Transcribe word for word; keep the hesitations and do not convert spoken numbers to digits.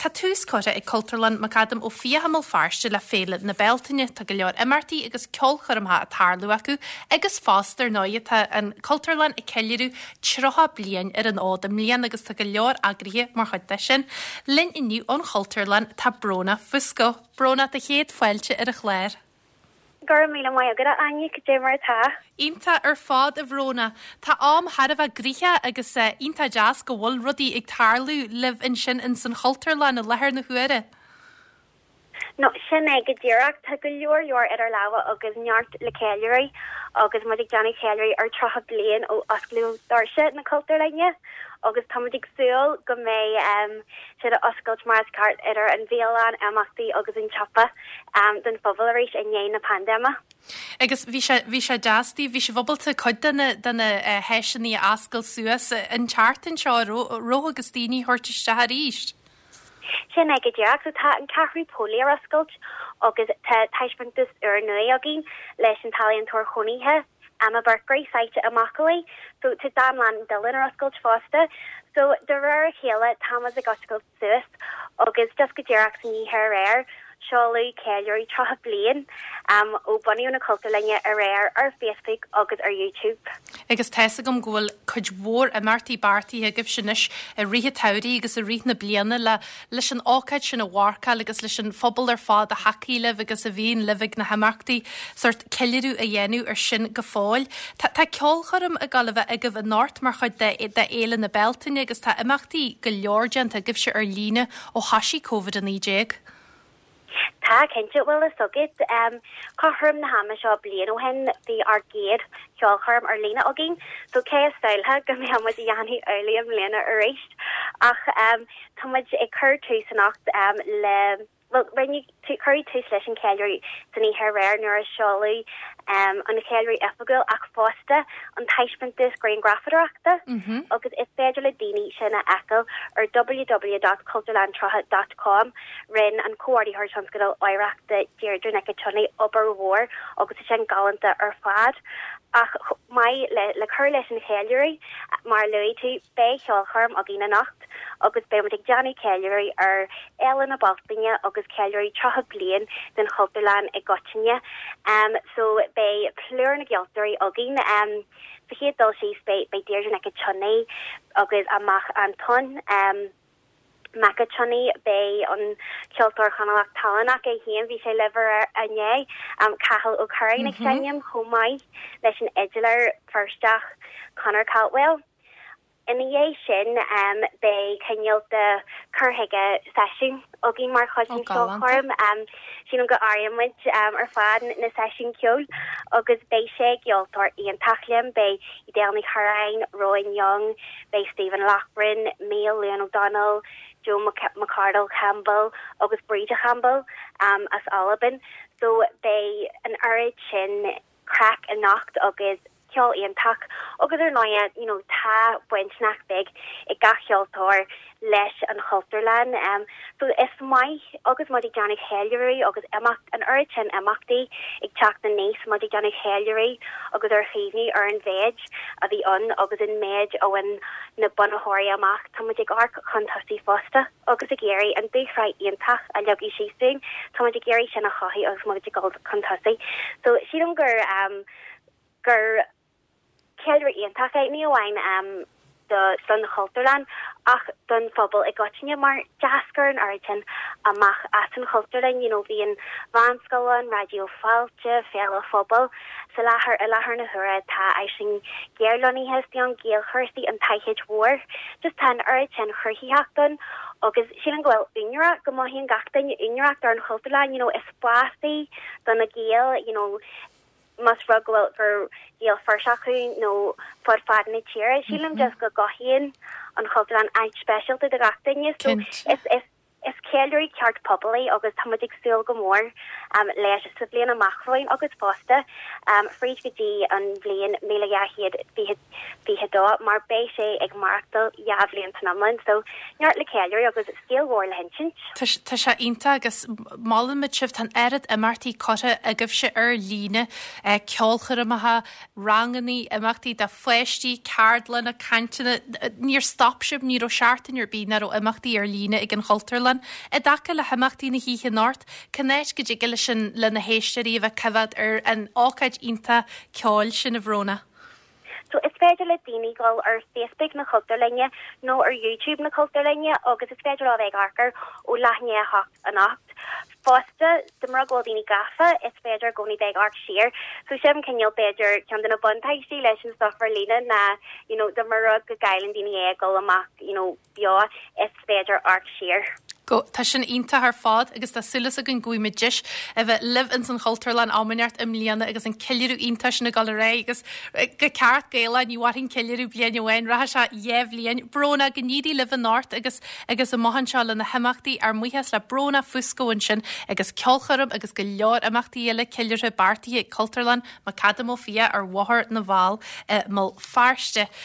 Tá tús curtha ag Cultúrlann McAdam Ó Fiaich i mBéal Feirste le Féile na Bealtaine. Tá go leor imeachtaí agus ceolchoirmeacha ag tarlú acu agus fosta ar ndóigh tá an Cultúrlann ag ceiliúradh tríocha bliain ar an fhód i mbliana agus tá go leor eagraithe mar chuid de sin. Linn inniu ón Chultúrlann tá Bróna Fusco. Bróna tá céad fáilte ar an chlár. Go raibh míle maith agat Áine cad é mar atá. Iontach ar fad a Bhróna. Tá am thar a bheith gnoitheach agus iontach deas go bhfuil rudaí ag tarlú libh ansin in san Chultúrlann i láthair na huaire. No sin é go díreach tá go leor leor idir lámha agus neart le ceiliúradh agus muid ag déanamh ceiliúradh ar tríocha bliain ó osclaíodh doirse na Cultúrlainne agus tá muid ag súil go mbeidh um, siad a oscailt mar is ceart idir an bhialann imeachtaí agus an siopa um, don phobal arís i ndiaidh na paindéime. Agus bhí sé bhí sé deas bhí sibh ábalta cuid de na de na uh, háiseanna a oscailt suas an tseachtain seo ró agus daoine a thabhairt isteach arís. Sin é go díreach so tá an ceathrú póilí ar oscailt agus tá taispeántas úr nua againn leis an t-ealaíontóir cónaithe Emma Berkery suite amachalaí, so tá Dánlann Dillon ar oscailt fosta. So de réir a chéile tá ag oscailt suas agus just go díreach san oíche aréir seoladh ceiliúradh tríocha bliain um, ó bunaíodh na Cultúrlainne aréir ar Facebook agus ar YouTube. Agus tá a fhios agam go bhfuil cuid mhór imeachtaí beartaithe agaibh anois i rith an tsamhraidh agus i rith na bliana le leis an ócáid sin a mharcáil agus leis an phobal ar fad a thacaíonn libh agus a bhíonn libh ag na himeachtaí sórt ceiliúradh a dhéanamh ar sin go fóill. Tá tá ceolchoirm ag gabháil a bheith agaibh anocht mar chuid de de Fhéile na Bealtaine agus tá imeachtaí go leor déanta agaibhse ar líne ó thosaigh Covid a naoi déag. Tá cinnte bhfuil a fhios agat um, cothrom na hama seo bliain ó shin bhí ár gcéad cheolchoirm ar líne againn, so cé a shamhlódh go mbeadh muid ag déanamh amhlaidh i mbliana arís ach um, tá muid ag cur tús anocht um, le Well, rinne cuireadh tús leis an ceiliúradh san oíche aréir nuair a seoladh um, an cheiliúradh oifigiúil ach fosta an taispeántas grianghrafadóireachta Mm -hmm. agus is féidir le daoine sin a fheiceáil ar www.cultúrlann tríocha dot com rinne an comhordaitheoir tionscadal oidhreachta Deirdre Nic Tionnaith obair mhór agus é sin galánta ar fad. Ach mai le, le cur leis an cheiliúradh mar luaigh tú beidh ceolchoirm againn anocht agus beidh ag déanamh ceiliúradh ar Fhéile na Bealtaine agus ceiliúradh tríocha bliain den Chultúrlann i gcoitinne. Um, so beidh plúr na gceoltóirí againn um, sa chéad dul síos beidh beidh Deirdre Nic Tionnaith agus a mac Anton um, Mac Tionnaith beidh an ceoltóir Chonallach talannach é féin bhí sé libh inné um, Cathal Ó Curráin ag mm -hmm. seinm chomh maith leis an fhidléir Feirsteach Conor Caldwell. Ina dhiaidh sin um, beidh cineál de cur chuige seisiún againn mar chuid den cheolchoirm um, sin go áirímid um, ar fad na seisiún ceoil agus beidh sé ceoltóir iontach linn beidh Edel Ní Churráin, Rowan Young, beidh Stephen Loughran, Neil Leon O'Donnell, Joe McCardle Campbell agus Breda Campbell um, as Albain. So beidh an oiread sin craic anocht agus ceol iontach agus ar ndóigh you know, tá baint nach beag ag gach ceoltóir leis an Chultúrlann. Um, so is maith agus muid ag déanamh ceiliúradh agus imeacht an oiread sin imeachtaí ag teacht aníos muid ag déanamh ceiliúradh agus ar chuimhní ar an mhéid a bhí ann agus an méid ó an na bunaitheoirí amach Tá muid ag amharc chun tosaigh fosta agus ag iarraidh an dúshraith iontach a leagadh síos dúinn Tá muid ag iarraidh sin a chothú agus muid ag dul chun tosaigh. So sílim gur um, gur ceiliúradh iontach é ní amháin um, do don Chultúrlann ach don phobal i gcoitinne mar d'eascair an oiread sin amach as an Chultúrlann you know, bhí an mheánscoil ann Raidió Fáilte Féile Phobail sa láthair i láthair na huaire tá sin géarloníthe an Gaelchúrsaí an taifid mhór just tá an oiread sin cruthaitheacht ann agus sin an bhfuil úinéireacht go mothaíonn gach duine úinéireacht ar an Chultúrlann you know, is spás é do na Gaeil you know, más rud go bhfuil gur Gael Feirsteach thú nó fud fad na tíre sílim mm -hmm. just go gcothaíonn an Chultúrlann áit speisialta do gach duine so is is is ceiliúradh ceart pobail é agus tá ag súil go mór um, leis sa bhliain amach romhainn agus fosta um, fríd go dtí an bhliain míle dhá chéad fiche dó mar beidh sé ag maireachtáil dhá bhliain san iomlán so neart le ceiliúradh agus scéal mhór le hinsint. Tá sé iontach agus molaimid sibh tá an oiread imeachtaí curtha agaibhse ar líne eh, ceolchoirmeacha, ranganna imeachtaí do pháistí, ceardlanna, cainteanna, níor stop sibh ní raibh seachtain ar bith nach raibh imeachtaí ar líne ag an Chultúrlann. I dtaca le himeachtaí na hoíche anocht, cén áit go dtig leis an le na héisteoirí a bheith coimhéad ar an ócáid iontach ceoil sin a Bhróna. So is féidir le daoine dul ar Facebook na Cultúrlainne nó ar YouTube na Cultúrlainne agus is féidir a bheith ag amharc ó leath i ndiaidh a hocht anocht. Fosta de mar go daoine gafa is féidir gcóí bheith amharc siar, so sin cineál b'fhéidir ceann de na buntáistí leis an stuff ar líne ná you know, de mar go gcailleann daoine é dul amach you know, beo is féidir amharc siar. Go tá sin iontach ar fad agus tá súil againn go mbeidh deis a bheith libh in san Chultúrlann am inteacht i mbliana agus an ceiliúradh iontach sin ag dul ar aghaidh agus go ceart Gaelach ní mhairfidh ceiliúradh bliain amháin rachaidh sé dhá bhliain Bróna go n-éirí libh anocht agus agus amach anseo le na himeachtaí ár mbuíochas le Bróna Fusco ansin agus ceolchoirm agus go leor imeachtaí eile ceiliúrtha beartaithe Cultúrlann McAdam Ó Fiaich ar Bhóthar na bhFál i mBéal Feirste.